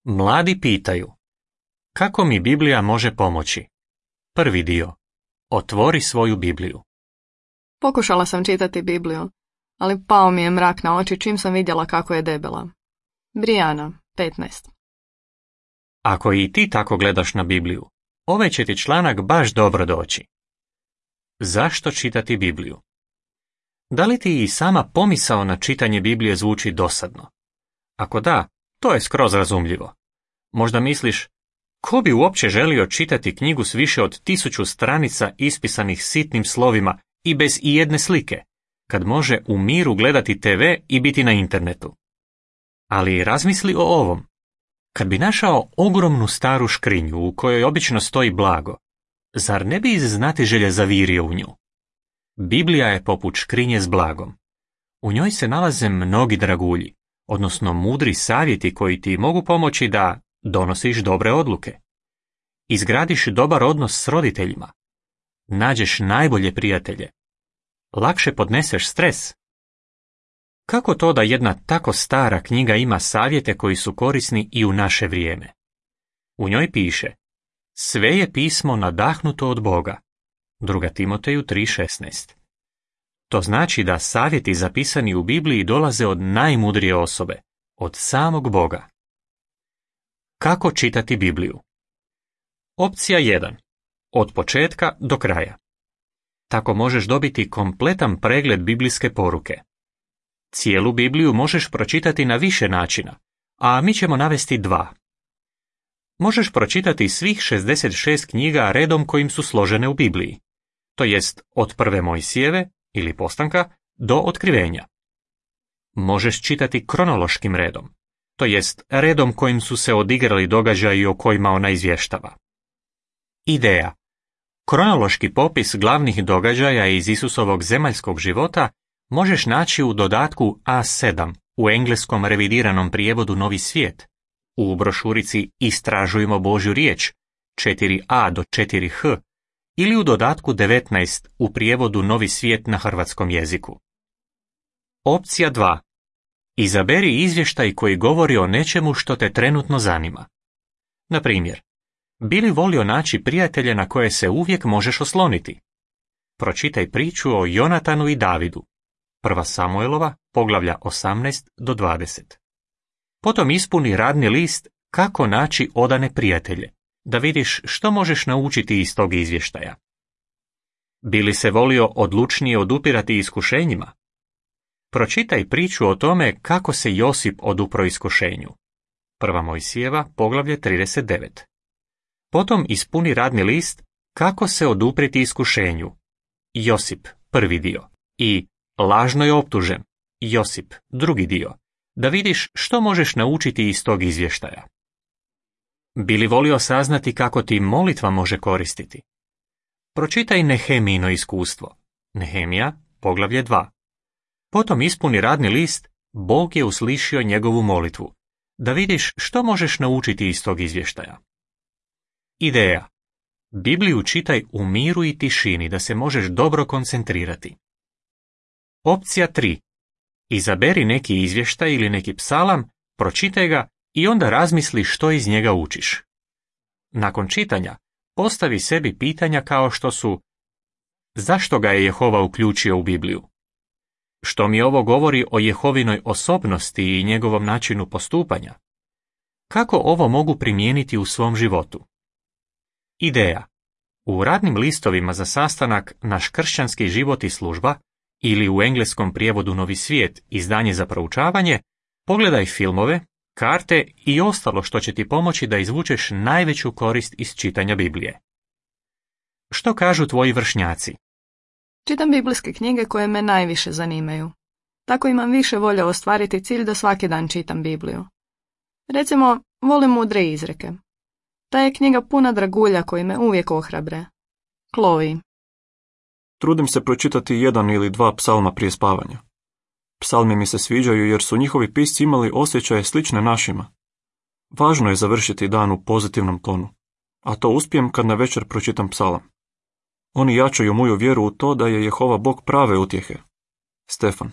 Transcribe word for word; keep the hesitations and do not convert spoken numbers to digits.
Mladi pitaju: kako mi Biblija može pomoći? Prvi dio. Otvori svoju Bibliju. Pokušala sam čitati Bibliju, ali pao mi je mrak na oči čim sam vidjela kako je debela. Brijana, petnaest. Ako i ti tako gledaš na Bibliju, ovaj će ti članak baš dobro doći. Zašto čitati Bibliju? Da li ti i sama pomisao na čitanje Biblije zvuči dosadno? Ako da, to je skroz razumljivo. Možda misliš, ko bi uopće želio čitati knjigu s više od tisuću stranica ispisanih sitnim slovima i bez ijedne slike, kad može u miru gledati te ve i biti na internetu? Ali razmisli o ovom. Kad bi našao ogromnu staru škrinju u kojoj obično stoji blago, zar ne bi iz znatiželje zavirio u nju? Biblija je poput škrinje s blagom. U njoj se nalaze mnogi dragulji, odnosno mudri savjeti koji ti mogu pomoći da donosiš dobre odluke, izgradiš dobar odnos s roditeljima, nađeš najbolje prijatelje, lakše podneseš stres. Kako to da jedna tako stara knjiga ima savjete koji su korisni i u naše vrijeme? U njoj piše: sve je pismo nadahnuto od Boga. druga Timoteju tri šesnaest. To znači da savjeti zapisani u Bibliji dolaze od najmudrije osobe, od samog Boga. Kako čitati Bibliju? Opcija jedan. Od početka do kraja. Tako možeš dobiti kompletan pregled biblijske poruke. Cijelu Bibliju možeš pročitati na više načina, a mi ćemo navesti dva. Možeš pročitati svih šezdeset šest knjiga redom kojim su složene u Bibliji, to jest od prve Mojsijeve ili postanka do otkrivenja. Možeš čitati kronološkim redom, to jest redom kojim su se odigrali događaji o kojima ona izvještava. Ideja. Kronološki popis glavnih događaja iz Isusovog zemaljskog života možeš naći u dodatku A sedam u engleskom revidiranom prijevodu Novi svijet, u brošurici Istražujmo Božju riječ četiri A do četiri H ili u dodatku devetnaest u prijevodu Novi svijet na hrvatskom jeziku. Opcija dva. Izaberi izvještaj koji govori o nečemu što te trenutno zanima. Na primjer, bi li volio naći prijatelje na koje se uvijek možeš osloniti? Pročitaj priču o Jonatanu i Davidu. prva Samuelova, poglavlja osamnaest do dvadeset. Potom ispuni radni list kako naći odane prijatelje, da vidiš što možeš naučiti iz tog izvještaja. Bi li se volio odlučnije odupirati iskušenjima? Pročitaj priču o tome kako se Josip odupro iskušenju. prva Mojsijeva, poglavlje trideset devet. Potom ispuni radni list kako se oduprijeti iskušenju. Josip, prvi dio. I lažno je optužen. Josip, drugi dio. Da vidiš što možeš naučiti iz tog izvještaja. Bi li volio saznati kako ti molitva može koristiti? Pročitaj Nehemijino iskustvo. Nehemija, poglavlje dva. Potom ispuni radni list Bog je uslišio njegovu molitvu. Da vidiš što možeš naučiti iz tog izvještaja. Ideja. Bibliju čitaj u miru i tišini da se možeš dobro koncentrirati. Opcija tri. Izaberi neki izvještaj ili neki psalam, pročitaj ga i onda razmisli što iz njega učiš. Nakon čitanja, postavi sebi pitanja kao što su: zašto ga je Jehova uključio u Bibliju? Što mi ovo govori o Jehovinoj osobnosti i njegovom načinu postupanja? Kako ovo mogu primijeniti u svom životu? Ideja. U radnim listovima za sastanak Naš kršćanski život i služba ili u engleskom prijevodu Novi svijet, izdanje za proučavanje, pogledaj filmove, karte i ostalo što će ti pomoći da izvučeš najveću korist iz čitanja Biblije. Što kažu tvoji vršnjaci? Čitam biblijske knjige koje me najviše zanimaju. Tako imam više volje ostvariti cilj da svaki dan čitam Bibliju. Recimo, volim mudre izreke. Ta je knjiga puna dragulja koji me uvijek ohrabre. Chloe. Trudim se pročitati jedan ili dva psalma prije spavanja. Psalmi mi se sviđaju jer su njihovi pisci imali osjećaje slične našima. Važno je završiti dan u pozitivnom tonu, a to uspijem kad na večer pročitam psalam. Oni jačaju moju vjeru u to da je Jehova Bog prave utjehe. Stefan.